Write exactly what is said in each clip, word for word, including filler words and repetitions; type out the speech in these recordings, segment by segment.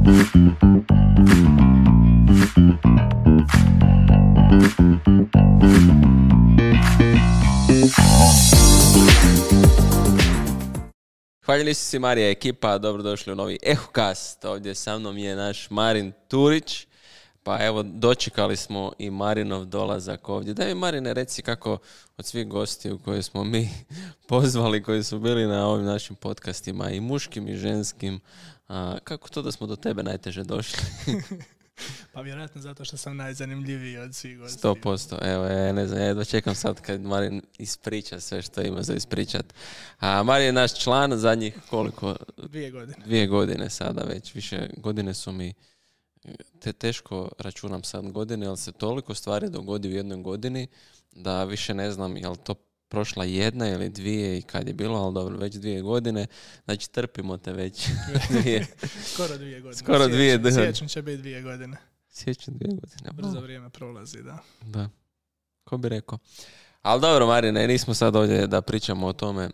Hvaljeli su si Marija ekipa, dobrodošli u novi Ehocast. Ovdje sa mnom je naš Marin Turić. Pa evo, dočekali smo i Marinov dolazak ovdje. Daj mi, Marine, reci kako od svih gostiju koje smo mi pozvali, koji su bili na ovim našim podcastima, i muškim i ženskim, a, kako to da smo do tebe najteže došli? Pa vjerojatno zato što sam najzanimljiviji od svih gostiju. Sto posto. Evo, ja ne znam, ja jedva čekam sad kad Marin ispriča sve što ima za ispričat. A Marin je naš član zadnjih koliko? Dvije godine. Dvije godine sada već. Više godine su mi, te teško računam sad godine, ali se toliko stvari dogodi u jednoj godini da više ne znam je li to prošla jedna ili dvije i kad je bilo, ali dobro, već dvije godine. Znači, trpimo te već dvije. Skoro dvije godine. Skoro dvije godine. Siječanj će biti dvije godine. Siječanj dvije godine. Brzo vrijeme prolazi, da. Da. Ko bi rekao. Ali dobro, Marine, nismo sad ovdje da pričamo o tome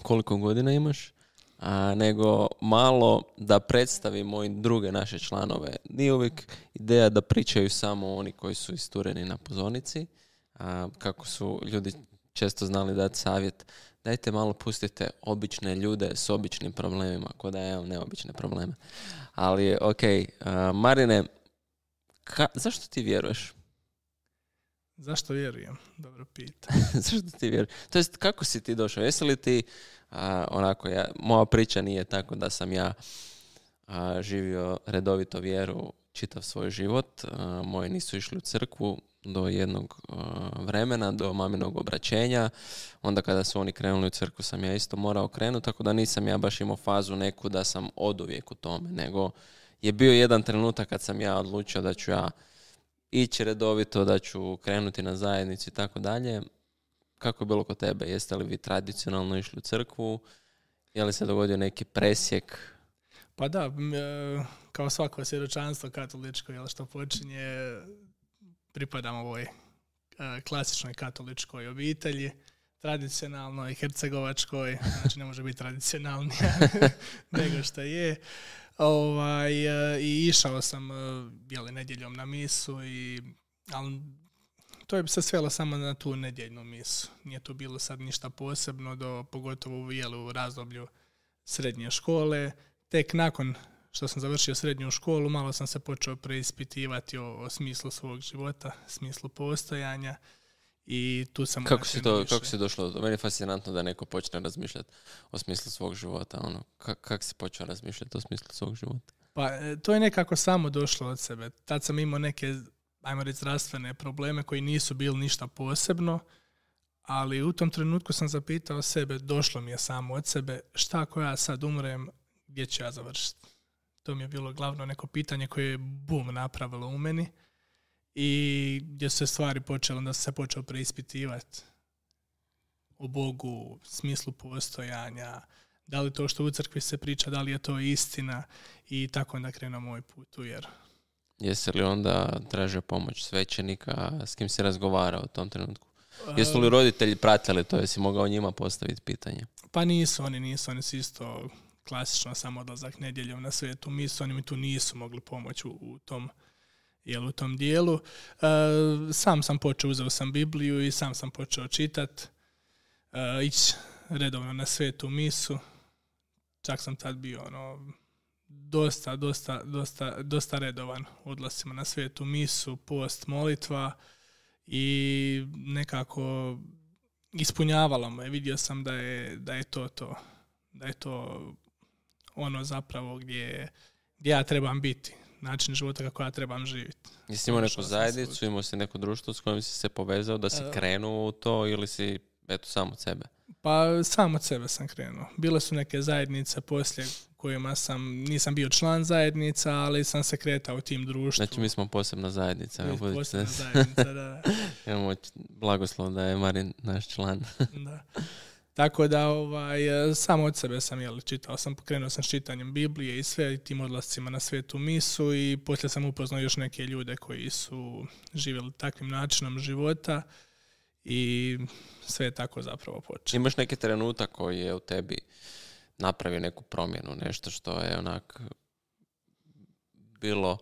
koliko godina imaš, a, nego malo da predstavimo i druge naše članove. Nije uvijek ideja da pričaju samo oni koji su istureni na pozornici, a, kako su ljudi često znali dati savjet. Dajte malo pustite obične ljude s običnim problemima, ko da ja imam neobične probleme. Ali, ok, a, Marine, ka, zašto ti vjeruješ? Zašto vjerujem? Dobro pita. Zašto ti vjeruješ? To jest, kako si ti došao? Jesi li ti, a, onako, ja, moja priča nije tako da sam ja a, živio redovito vjeru čitav svoj život. A, moji nisu išli u crkvu do jednog uh, vremena, do maminog obraćenja. Onda kada su oni krenuli u crkvu sam ja isto morao krenuti, tako da nisam ja baš imao fazu neku da sam oduvijek u tome, nego je bio jedan trenutak kad sam ja odlučio da ću ja ići redovito, da ću krenuti na zajednicu i tako dalje. Kako je bilo kod tebe? Jeste li vi tradicionalno išli u crkvu? Je li se dogodio neki presjek? Pa da, kao svako svjedočanstvo katoličko, jel, što počinje, pripadam ovoj klasičnoj katoličkoj obitelji, tradicionalnoj, hercegovačkoj, znači ne može biti tradicionalnija nego što je. Ovaj, I išao sam jeli, nedjeljom na misu, i, ali to je se svelo samo na tu nedjeljnu misu. Nije tu bilo sad ništa posebno, do, pogotovo jeli, u razdoblju srednje škole. Tek nakon što sam završio srednju školu, malo sam se počeo preispitivati o, o smislu svog života, smislu postojanja, i tu sam... Kako si, to, kako si došlo do toga? Meni je fascinantno da neko počne razmišljati o smislu svog života. Ono, kak, kak si počeo razmišljati o smislu svog života? Pa to je nekako samo došlo od sebe. Tad sam imao neke, ajmo reći, zdravstvene probleme koji nisu bili ništa posebno, ali u tom trenutku sam zapitao sebe, došlo mi je samo od sebe, šta ako ja sad umrem, gdje ću ja završiti? To mi je bilo glavno neko pitanje koje je bum napravilo u meni, i gdje su se stvari počele, onda se počeo preispitivati o Bogu, smislu postojanja, da li to što u crkvi se priča, da li je to istina, i tako onda krenuo moj put u vjeru. Jesi li onda tražio pomoć svećenika, s kim si razgovarao u tom trenutku? Jesu li roditelji pratili to, jesi mogao njima postaviti pitanje? Pa nisu, oni nisu, oni su isto klasično samo odlazak nedjeljom na svetu misu, oni mi tu nisu mogli pomoći u, u tom jel, u tom dijelu. E, sam sam počeo, uzeo sam Bibliju i sam sam počeo čitati, e, ići redovno na svetu misu. Čak sam tad bio ono, dosta, dosta, dosta, dosta redovan u odlascima na svetu misu, post, molitva, i nekako ispunjavalo me. Vidio sam da je, da je to to, da je to ono zapravo gdje, gdje ja trebam biti, način života kako ja trebam živjeti. Jesi imao neku zajednicu, imao si neko društvo s kojim si se povezao da si uh, krenuo u to, ili si eto sam od sebe? Pa sam od sebe sam krenuo. Bile su neke zajednice poslije kojima sam, nisam bio član zajednica, ali sam se kretao u tim društvu. Znači mi smo posebna zajednica. Mi smo posebna zajednica, da, da. Imamo blagoslov da je Marin naš član. Da. Tako da ovaj, samo od sebe sam jel, čitao sam, pokrenuo sam s čitanjem Biblije i sve, i tim odlascima na svetu misu, i poslije sam upoznao još neke ljude koji su živjeli takvim načinom života, i sve je tako zapravo počelo. Imaš neki trenutak koji je u tebi napravio neku promjenu, nešto što je onak bilo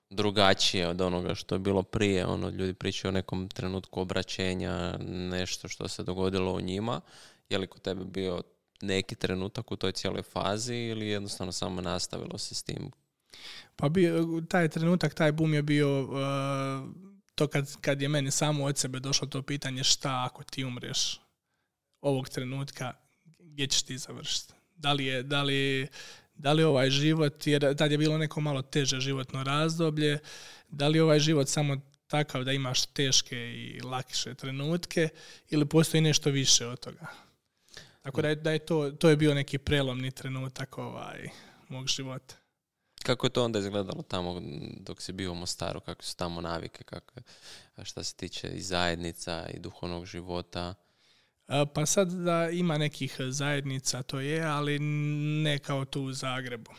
drugačije od onoga što je bilo prije? Ono, ljudi pričaju o nekom trenutku obraćenja, nešto što se dogodilo u njima. Je li kod tebe bio neki trenutak u toj cijeloj fazi ili jednostavno samo nastavilo se s tim? Pa bio, taj trenutak, taj boom je bio uh, to kad, kad je meni samo od sebe došlo to pitanje šta ako ti umreš ovog trenutka, gdje ćeš ti završiti? Da li je, da li, da li ovaj život, jer tad je bilo neko malo teže životno razdoblje, da li ovaj život samo takav da imaš teške i lakše trenutke ili postoji nešto više od toga? Tako da je, da je to, to je bio neki prelomni trenutak ovaj, mog života. Kako je to onda izgledalo tamo dok si bio u Mostaru? Kako su tamo navike? Kako, šta se tiče i zajednica i duhovnog života? Pa sad da ima nekih zajednica, to je, ali ne kao tu u Zagrebu.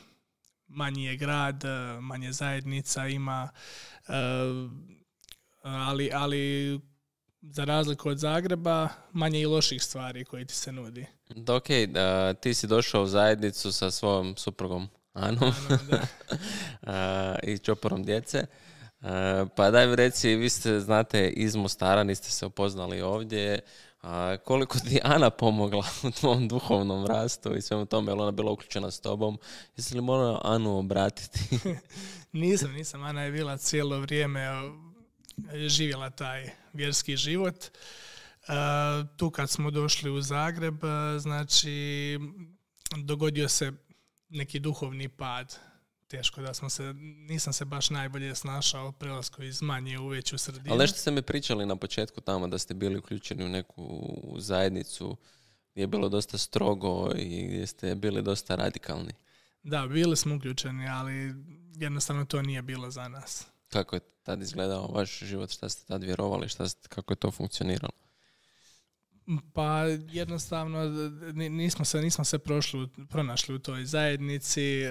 Manji je grad, manje zajednica ima, ali, ali za razliku od Zagreba, manje i loših stvari koje ti se nudi. Da, ok, da, ti si došao u zajednicu sa svojom suprugom Anom i čoporom djece. Pa daj mi reci, vi ste, znate, iz Mostara, niste se upoznali ovdje. A koliko ti Ana pomogla u tvom duhovnom rastu i svemu tome, je li ona bila uključena s tobom? Jesi li morala Anu obratiti? nisam, nisam. Ana je bila cijelo vrijeme živjela taj vjerski život. Uh, tu kad smo došli u Zagreb, znači dogodio se neki duhovni pad. Teško da smo se, nisam se baš najbolje snašao prelasku iz manje u veću sredinu. Ali nešto ste mi pričali na početku tamo da ste bili uključeni u neku zajednicu gdje je bilo dosta strogo i gdje ste bili dosta radikalni. Da, bili smo uključeni, ali jednostavno to nije bilo za nas. Kako je tad izgledao vaš život? Šta ste tad vjerovali? Šta ste, kako je to funkcioniralo? Pa jednostavno nismo se, nismo se prošli, pronašli u toj zajednici.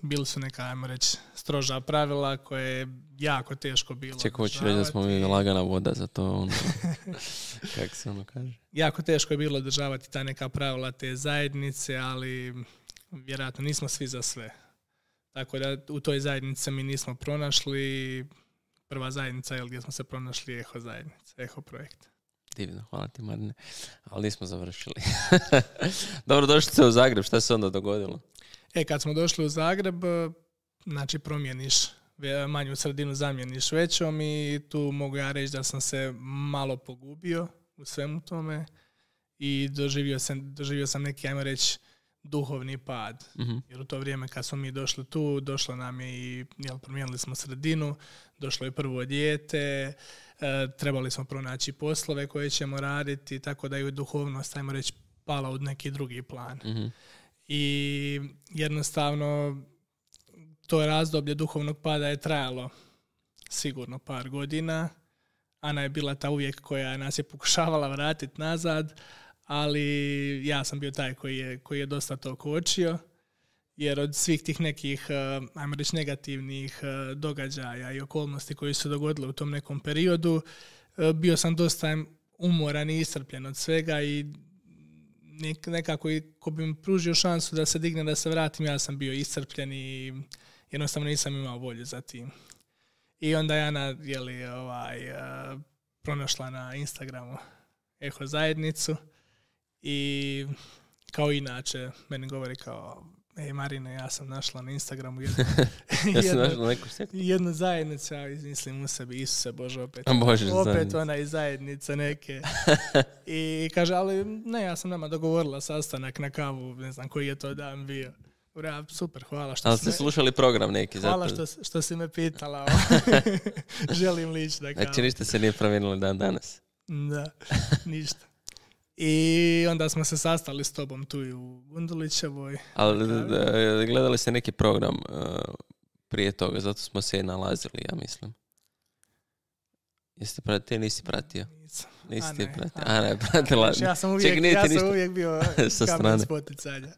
Bili su neka, ajmo reći, stroža pravila koje je jako teško bilo. Čekaj, hoću reći da smo mi lagana voda za to. Ono, kako se ono kaže? Jako teško je bilo održavati ta neka pravila te zajednice, ali vjerojatno nismo svi za sve. Tako da u toj zajednici mi nismo pronašli. Prva zajednica je gdje smo se pronašli Eho zajednica, Eho projekt. Divno, hvala ti Marine. Ali nismo završili. Dobro, došli ste u Zagreb, šta se onda dogodilo? E, kad smo došli u Zagreb, znači promijeniš manju sredinu, zamijeniš većom i tu mogu ja reći da sam se malo pogubio u svemu tome i doživio sam, doživio sam neki, ajmo reći, duhovni pad. Uh-huh. Jer u to vrijeme kad smo mi došli tu, došlo nam je i, jel, promijenili smo sredinu, došlo je prvo dijete, e, trebali smo pronaći poslove koje ćemo raditi, tako da je duhovnost, ajmo reći, pala u neki drugi plan. Uh-huh. I jednostavno to razdoblje duhovnog pada je trajalo sigurno par godina. Ana je bila ta uvijek koja nas je pokušavala vratiti nazad, ali ja sam bio taj koji je, koji je dosta to kočio, jer od svih tih nekih, ajmo reći, negativnih događaja i okolnosti koji su dogodile u tom nekom periodu, bio sam dosta umoran i iscrpljen od svega i nekako ko bi mi pružio šansu da se digne, da se vratim, ja sam bio iscrpljen i jednostavno nisam imao volju za tim. I onda je Ana, jeli, ovaj, pronašla na Instagramu Eho zajednicu i kao inače meni govori kao, ej Marine, ja sam našla na Instagramu jednu, ja sam jednu, našla neku sektu. jednu zajednicu, ja mislim u sebi, Isuse Bože, opet, Bože, opet zajednica. ona iz zajednice neke. I kaže, ali ne, ja sam nama dogovorila sastanak na kavu, ne znam koji je to dan bio. Ura, super, hvala što ali si ste me... slušali program neki. Hvala zato... što, što si me pitala. Želim lići da kao. Znači ništa se nije promijenilo dan danas. Da, ništa. I onda smo se sastali s tobom tu i u Gundulićevoj. Ali da, da, gledali ste neki program uh, prije toga, zato smo se i nalazili, ja mislim. Jeste pratio, nisi pratio? Nisam. Nisi ti pratio. Ana, Ana je pratila. Ja sam uvijek, Ček, ja sam ništa... uvijek bio kamen spoticanja.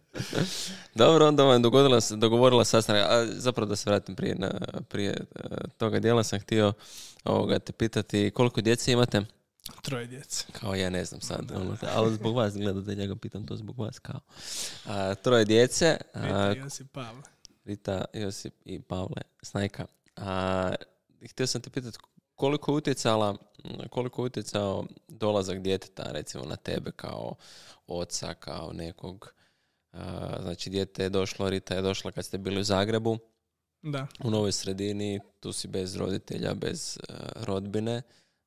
Dobro, onda vam dogovorila, dogovorila sastanak. A zapravo da se vratim prije, na, prije toga dijela sam htio ovoga, te pitati koliko djece imate? Troje djece. Kao ja ne znam sad, ono, ali zbog vas gledate, ja ga pitam to zbog vas kao. A, troje djece. Petar, Josip, Pavle. Rita, Josip i Pavle Snajka. A, htio sam te pitati koliko je utjecala, koliko je utjecao dolazak djeteta recimo na tebe kao oca, kao nekog, a, znači dijete je došlo, Rita je došla kad ste bili u Zagrebu, da. U novoj sredini, tu si bez roditelja, bez uh, rodbine,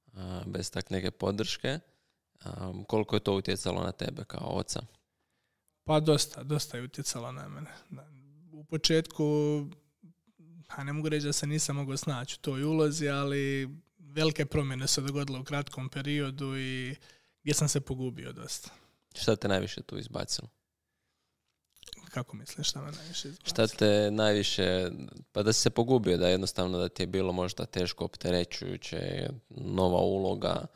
uh, bez tak neke podrške. Um, koliko je to utjecalo na tebe kao oca? Pa dosta, dosta je utjecalo na mene. U početku, a ne mogu reći da se nisam mogao snaći u toj ulozi, ali velike promjene su dogodile u kratkom periodu i gdje sam se pogubio dosta. Šta te najviše tu izbacilo? Kako misliš, šta me najviše izbacilo? Šta te najviše, pa da si se pogubio, da jednostavno da ti je bilo možda teško, opterećujuće, nova uloga.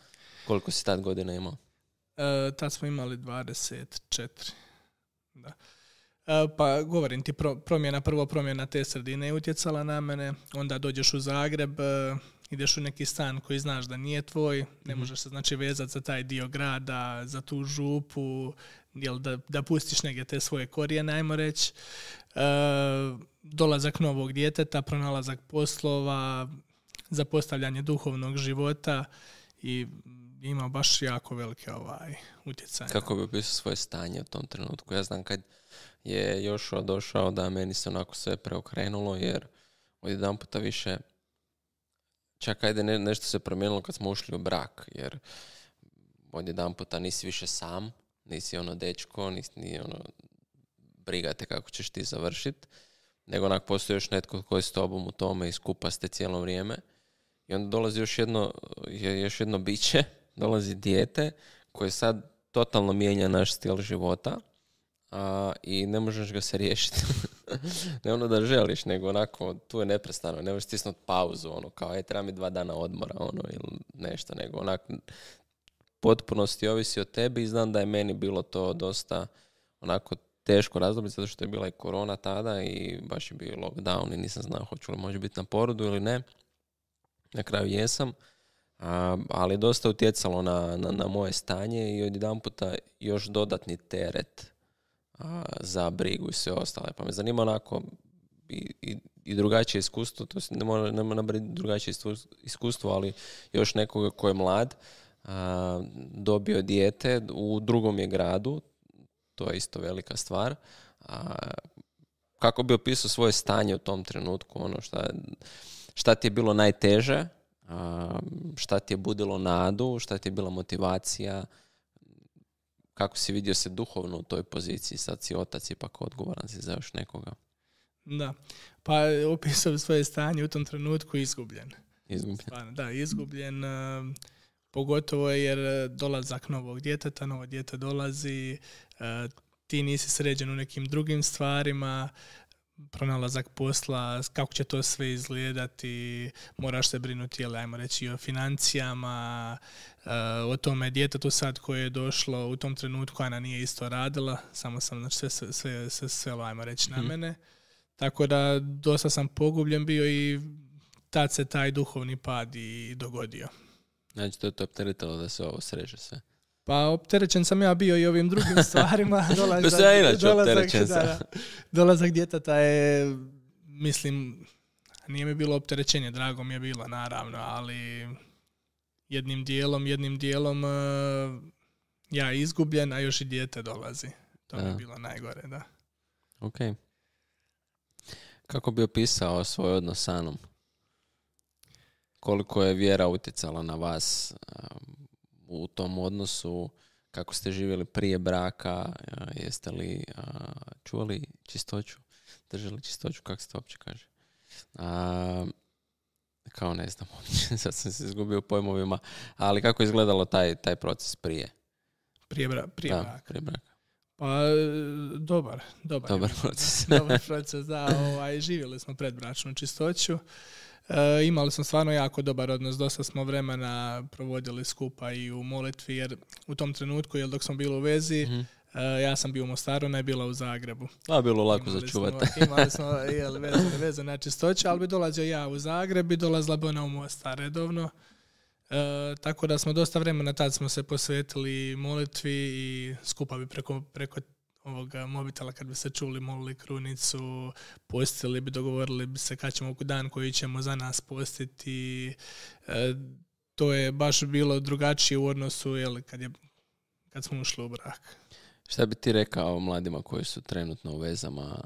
Koliko si tad godina imao? E, tad smo imali dvadeset četiri. Da. E, pa govorim ti, pro, promjena, prvo promjena te sredine je utjecala na mene, onda dođeš u Zagreb, e, ideš u neki stan koji znaš da nije tvoj, ne mm-hmm. možeš se znači vezati za taj dio grada, za tu župu, jel, da, da pustiš negdje te svoje korijene, ajmo reći. E, dolazak novog djeteta, pronalazak poslova, zapostavljanje duhovnog života i ima baš jako velike ovaj utjecaj. Kako bi opisao svoje stanje u tom trenutku? Ja znam kad je Jošua došao da meni se onako sve preokrenulo, jer odjedan puta više čak ajde ne, nešto se promijenilo kad smo ušli u brak, jer odjedan puta nisi više sam, nisi ono dečko, nisi ni ono briga te kako ćeš ti završiti, nego onak postoji još netko koji je s tobom u tome i skupa ste cijelo vrijeme. I onda dolazi još jedno, još jedno biće, dolazi dijete koje sad totalno mijenja naš stil života, a, i ne možeš ga se riješiti. Ne ono da želiš, nego onako tu je neprestano, ne možeš stisnuti pauzu, ono kao, e, treba mi dva dana odmora, ono, ili nešto, nego onako potpunosti ovisi o tebi i znam da je meni bilo to dosta onako teško razdoblje, zato što je bila i korona tada i baš je bio lockdown i nisam znao hoću li može biti na porodu ili ne. Na kraju jesam, a, ali dosta utjecalo na, na, na moje stanje i odjedanputa još dodatni teret a, za brigu i sve ostale. Pa me zanima onako i, i, i drugačije iskustvo, to ne mora, ne mora biti drugačije iskustvo, ali još nekoga ko je mlad, a, dobio dijete u drugom je gradu, to je isto velika stvar. A, kako bi opisao svoje stanje u tom trenutku, ono šta, šta ti je bilo najteže, a, šta ti je budilo nadu, šta ti je bila motivacija, kako si vidio se duhovno u toj poziciji, sad si otac, ipak odgovoran si za još nekoga. Da, pa opisao bi svoje stanje u tom trenutku izgubljen. Izgubljen. Stvarno, da, izgubljen, uh, pogotovo jer dolazak novog djeteta, novo dijete dolazi, uh, ti nisi sređen u nekim drugim stvarima, pronalazak posla, kako će to sve izgledati, moraš se brinuti, jel, ajmo reći, o financijama, uh, o tome djetetu sad koje je došlo u tom trenutku, Ana nije isto radila, samo sam znači, sve, sve, sve, sve, sve ajmo reći, na mene. Tako da dosta sam pogubljen bio i tad se taj duhovni pad i dogodio. Znači to je to opteretilo da se ovo sreže sve. Pa opterećen sam ja bio i ovim drugim stvarima. Dolazak, ja inače dolazak, da, da, dolazak djeteta je, mislim, nije mi bilo opterećenje, drago mi je bilo naravno, ali jednim dijelom, jednim dijelom uh, ja izgubljen, a još i dijete dolazi. To mi je bilo najgore, da. Ok. Kako bi opisao svoj odnos s Anom? Koliko je vjera utjecala na vas um, u tom odnosu, kako ste živjeli prije braka, uh, jeste li uh, čuvali čistoću, držali čistoću, kako se to uopće kaže? Uh, kao ne znam uopće, sad sam se izgubio u pojmovima, ali kako je izgledalo taj, taj proces prije? Prije, bra- prije da, braka. Prije braka. Pa, dobar, dobar. Dobar proces. Dobar proces, da. Ovaj, živjeli smo predbračnu čistoću. E, imali smo stvarno jako dobar odnos. Dosta smo vremena provodili skupa i u molitvi, jer u tom trenutku, jer dok smo bili u vezi, mm-hmm. e, ja sam bio u Mostaru, ona je bila u Zagrebu. A, bilo lako za čuvati. Imali smo jel, vezu, vezu na čistoću, ali bi dolazio ja u Zagreb i dolazila bi ona u Mostar redovno. E, tako da smo dosta vremena tad smo se posvetili molitvi i skupa bi preko, preko ovoga mobitela kad bi se čuli, molili krunicu, postili bi, dogovorili bi se kad ćemo dan koji ćemo za nas postiti. E, to je baš bilo drugačije u odnosu jel, kad, je, kad smo ušli u brak. Šta bi ti rekao mladima koji su trenutno u vezama,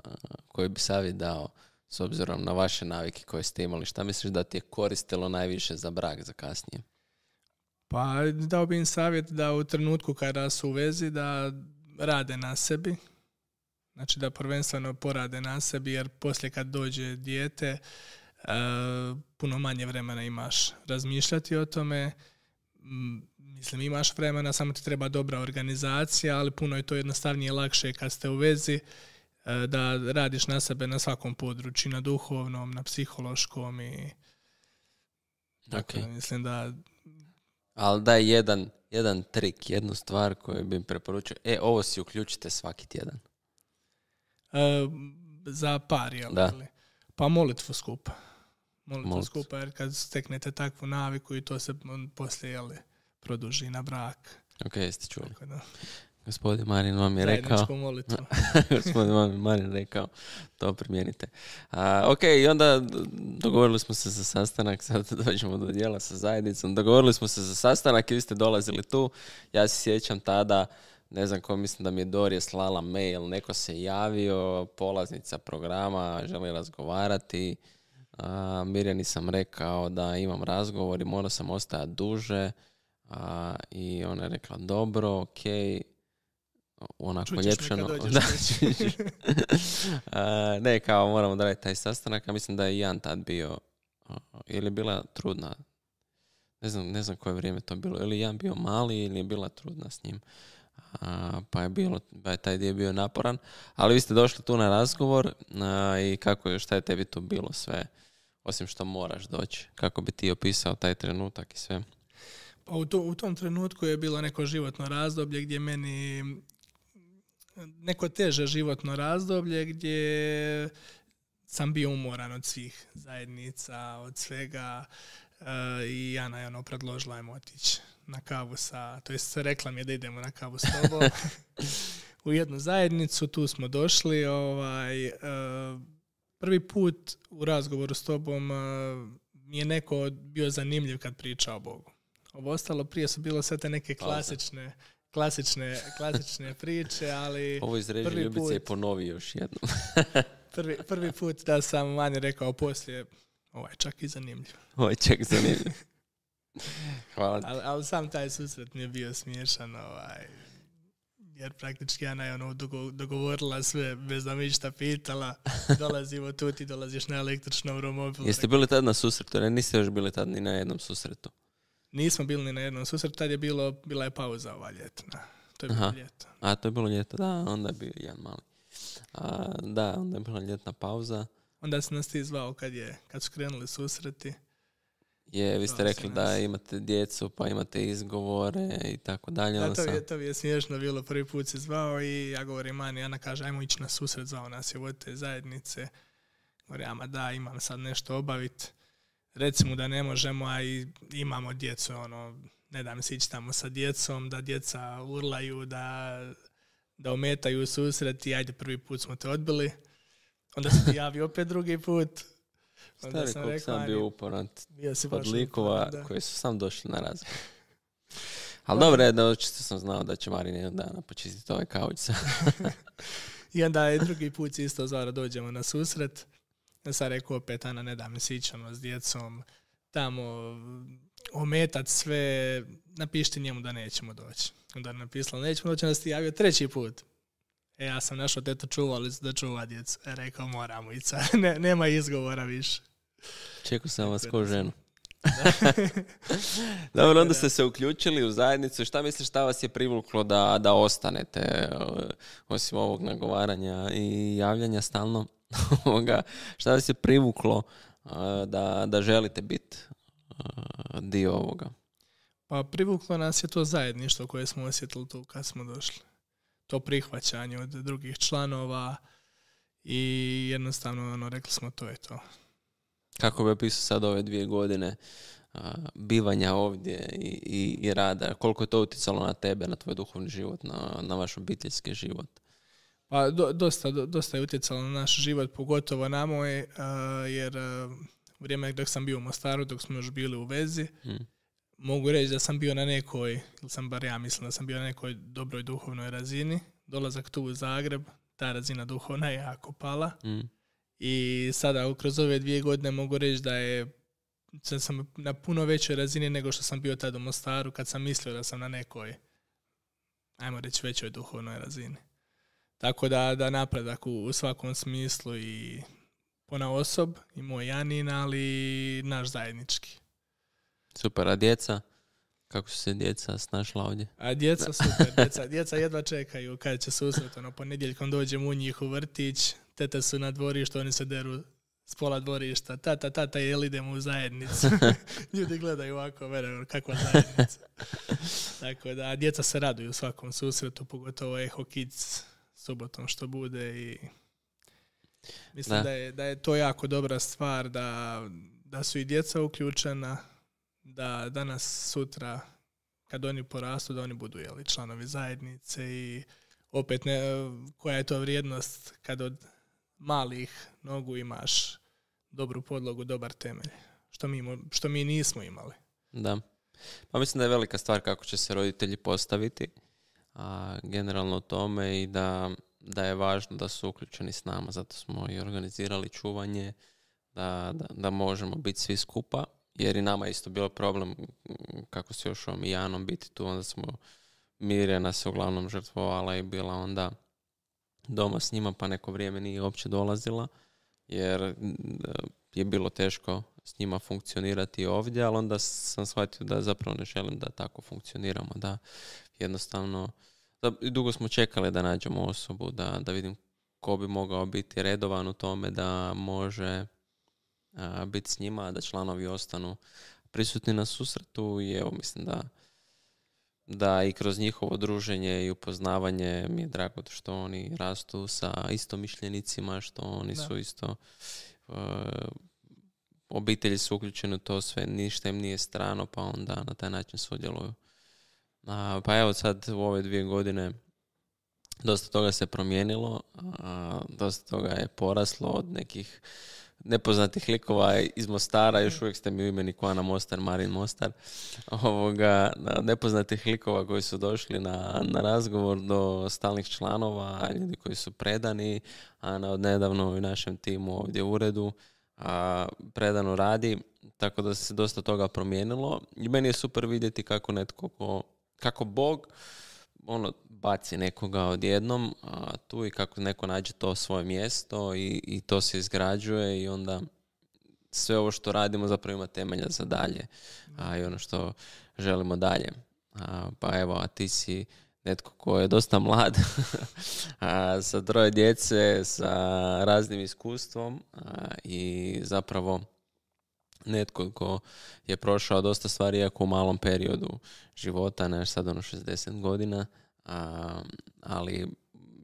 koji bi savjet dao s obzirom na vaše navike koje ste imali? Šta misliš da ti je koristilo najviše za brak, za kasnije? Pa dao bi im savjet da u trenutku kada su u vezi da rade na sebi. Znači da prvenstveno porade na sebi, jer poslije kad dođe dijete uh, puno manje vremena imaš razmišljati o tome. Mislim, imaš vremena, samo ti treba dobra organizacija, ali puno je to jednostavnije i lakše kad ste u vezi da radiš na sebe na svakom području, na duhovnom, na psihološkom i okay. Mislim da... Ali daj jedan, jedan trik, jednu stvar koju bi preporučio. E, ovo si uključite svaki tjedan. E, za par, jel? Da. Pa molitvu skupa. Molitvu Molit. skupa, jer kad steknete takvu naviku i to se poslije, jel, produži na brak. Ok, jeste čuli. Tako da. Gospodin Marin vam je rekao... Zajedničku molitvu. Gospodin Marin rekao, to primijenite. A, ok, i onda dogovorili smo se za sastanak, sad dođemo do dijela sa zajednicom. Dogovorili smo se za sastanak i vi ste dolazili tu. Ja se sjećam tada, ne znam ko, mislim da mi je Dorje slala mail, neko se javio, polaznica programa, želi razgovarati. A, Mirjani sam rekao da imam razgovor i morao sam ostajati duže. A, I ona je rekla, dobro, ok, onako ljepšano. Da, A, ne, kao moramo da raditi taj sastanak, a mislim da je Jan tad bio, ili je bila trudna, ne znam, ne znam koje vrijeme to bilo, ili Jan bio mali ili je bila trudna s njim, a, pa je bilo, pa je taj dio bio naporan, ali vi ste došli tu na razgovor a, i kako je, šta je tebi tu bilo sve, osim što moraš doći, kako bi ti opisao taj trenutak i sve? Pa u, to, u tom trenutku je bilo neko životno razdoblje gdje meni neko teže životno razdoblje gdje sam bio umoran od svih zajednica, od svega uh, i Jana je ono predložila ajmo otići na kavu sa, to jest rekla mi je da idemo na kavu s tobom u jednu zajednicu, tu smo došli, ovaj, uh, prvi put u razgovoru s tobom uh, mi je neko bio zanimljiv kad priča o Bogu. Ovo ostalo prije su bilo sve te neke klasične klasične, klasične priče, ali... Ovo izreži Ljubice i ponovi još jednom. prvi, prvi put da sam manje rekao poslije, ovo je čak i zanimljiv. Ovo je čak zanimljiv. Hvala ti. Ali, ali sam taj susret mi je bio smiješan, ovaj, jer praktički Ana je ono dogovorila sve bez da me išta pitala. Dolazimo tu, ti dolaziš na električnom romobilu. Jeste bili tad na susretu? Ne, niste još bili tad ni na jednom susretu. Nismo bili ni na jednom susretu, tad je bilo, bila je pauza ova ljetna. To je bilo Aha. ljeto. A, to je bilo ljeto, da, onda je bio jedan mali. A, da, onda je bila ljetna pauza. Onda si nas ti zvao kad, je, kad su krenuli susreti. Je, vi ste rekli da imate djecu, pa imate izgovore i tako dalje. Da, to, sam... je, to je smiješno bilo, prvi put si zvao i ja govorim Mani, Ana kaže, ajmo ići na susret, zvao nas je od te zajednice. Govorim, ama da, imam sad nešto obaviti. Recimo da ne možemo, a i imamo djecu, ono, ne dam se ići tamo sa djecom, da djeca urlaju, da, da ometaju susret i ajde, prvi put smo te odbili. Onda se ti javi opet drugi put. Onda Stari, sam rekao, sam bio uporan od likova koji su sam došli na razgovor. Ali dobro je da očito sam znao da će Marin jedan dana počistiti ovaj kauč. I onda je drugi put isto zvara dođemo na susret. Ja sam rekao opet, Ana, ne da mi se ići ono s djecom, tamo ometat sve, napišite njemu da nećemo doći. Onda je napisala, nećemo doći, onda si ti javio treći put. E, ja sam našao teto čuvalicu da čuva djecu. E, rekao, moramo ići, ne, nema izgovora više. Čekao sam vas ko ženu. Dobro, onda ste se uključili u zajednicu. Šta misliš, šta vas je privuklo da, da ostanete, osim ovog nagovaranja i javljanja stalno? Šta vas je privuklo da, da želite biti dio ovoga? Pa privuklo nas je to zajedništvo koje smo osjetili tu kad smo došli. To prihvaćanje od drugih članova i jednostavno ono, rekli smo to je to. Kako bi opisao sad ove dvije godine a, bivanja ovdje i, i, i rada? Koliko je to utjecalo na tebe, na tvoj duhovni život, na, na vaš obiteljski život? Pa do, dosta, do, dosta je utjecalo na naš život, pogotovo na moj, uh, jer uh, u vrijeme dok sam bio u Mostaru, dok smo još bili u vezi, hmm. mogu reći da sam bio na nekoj, ili sam bar ja mislim da sam bio na nekoj dobroj duhovnoj razini. Dolazak tu u Zagreb, ta razina duhovna je jako pala. Hmm. I sada kroz ove dvije godine mogu reći da je da sam na puno većoj razini nego što sam bio tada u Mostaru, kad sam mislio da sam na nekoj, ajmo reći, većoj duhovnoj razini. Tako da, da napredak u, u svakom smislu i ponaosob, i moj Janin, ali i naš zajednički. Super, a djeca? Kako su se djeca snašla ovdje? A djeca super, djeca, djeca jedva čekaju kad će susret, ono, ponedjeljkom dođem u njih u vrtić, tete su na dvorištu, oni se deru s pola dvorišta, tata, tata, jel idemo u zajednicu? Ljudi gledaju ovako, vere, kakva zajednica. Tako da, djeca se raduju u svakom susretu, pogotovo Eho Kids subotom što bude i mislim da, da, je, da je to jako dobra stvar, da, da su i djeca uključena, da danas sutra kad oni porastu, da oni budu, jeli, članovi zajednice i opet ne, koja je to vrijednost kad od malih nogu imaš dobru podlogu, dobar temelj, što mi, što mi nismo imali. Da. Pa mislim da je velika stvar kako će se roditelji postaviti a, generalno u tome i da, da je važno da su uključeni s nama, zato smo i organizirali čuvanje, da, da, da možemo biti svi skupa, jer i nama je isto bilo problem kako se još ovom Janom biti tu, onda smo Mirjana se uglavnom žrtvovala i bila onda doma s njima, pa neko vrijeme nije uopće dolazila, jer je bilo teško s njima funkcionirati ovdje, ali onda sam shvatio da zapravo ne želim da tako funkcioniramo, da jednostavno, da dugo smo čekali da nađemo osobu, da, da vidim ko bi mogao biti redovan u tome da može a, biti s njima, da članovi ostanu prisutni na susretu i evo mislim da da i kroz njihovo druženje i upoznavanje mi je drago što oni rastu sa istomišljenicima, što oni da. su isto uh, obitelji su uključeni u to sve, ništa im nije strano, pa onda na taj način sudjeluju. Uh, pa evo sad u ove dvije godine dosta toga se promijenilo, uh, dosta toga je poraslo od nekih nepoznatih likova iz Mostara, još uvijek ste mi u imeniku Ana Mostar, Marin Mostar, ovoga, nepoznatih likova koji su došli na, na razgovor do stalnih članova, ljudi koji su predani, a na odnedavno u našem timu ovdje u uredu a, predano radi, tako da se dosta toga promijenilo i meni je super vidjeti kako netko, ko, kako Bog ono, baci nekoga odjednom a, tu i kako neko nađe to svoje mjesto i, i to se izgrađuje i onda sve ovo što radimo zapravo ima temelja za dalje a, i ono što želimo dalje. A, pa evo, a ti si netko ko je dosta mlad a, sa troje djece, sa raznim iskustvom a, i zapravo netko ko je prošao dosta stvari iako u malom periodu života, ne sad ono šezdeset godina, a, ali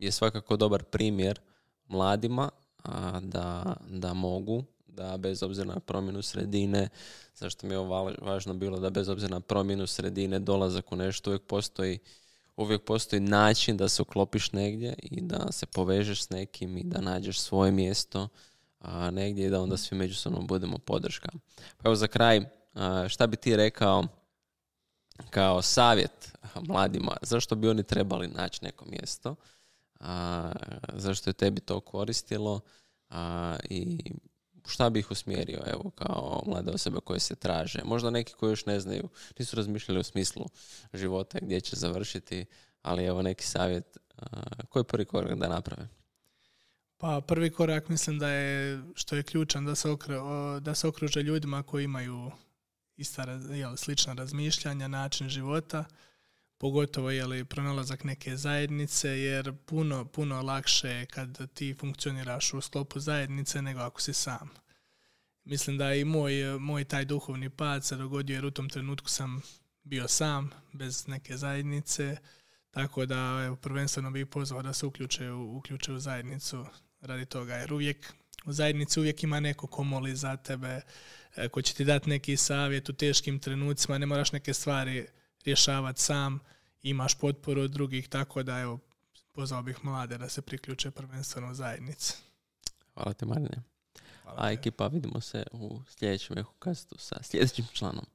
je svakako dobar primjer mladima a, da, da mogu, da bez obzira na promjenu sredine, zašto mi je ovo važno bilo, da bez obzira na promjenu sredine, dolazak u nešto, uvijek postoji, uvijek postoji način da se uklopiš negdje i da se povežeš s nekim i da nađeš svoje mjesto a, negdje i da onda svi međusobno budemo podrška. Pa evo za kraj, a, šta bi ti rekao kao savjet mladima, zašto bi oni trebali naći neko mjesto, a, zašto je tebi to koristilo a, i šta bi ih usmjerio, evo, kao mlade osobe koje se traže. Možda neki koji još ne znaju, nisu razmišljali u smislu života gdje će završiti, ali evo neki savjet, a, koji je prvi korak da naprave? Pa prvi korak mislim da je, što je ključan, da se, okre, da se okruže ljudima koji imaju ista, jel, slična razmišljanja, način života, pogotovo je pronalazak neke zajednice, jer puno, puno lakše je kad ti funkcioniraš u sklopu zajednice nego ako si sam. Mislim da i moj, moj taj duhovni pad se dogodio jer u tom trenutku sam bio sam, bez neke zajednice, tako da evo, prvenstveno bih pozvao da se uključe u, uključe u zajednicu radi toga, jer uvijek u zajednici uvijek ima neko ko moli za tebe, ko će ti dati neki savjet u teškim trenucima, ne moraš neke stvari rješavati sam, imaš potporu od drugih, tako da evo, pozvao bih mlade da se priključe prvenstveno u zajednici. Hvala te, Marine. Hvala A te. ekipa, vidimo se u sljedećem Ehokastu sa sljedećim članom.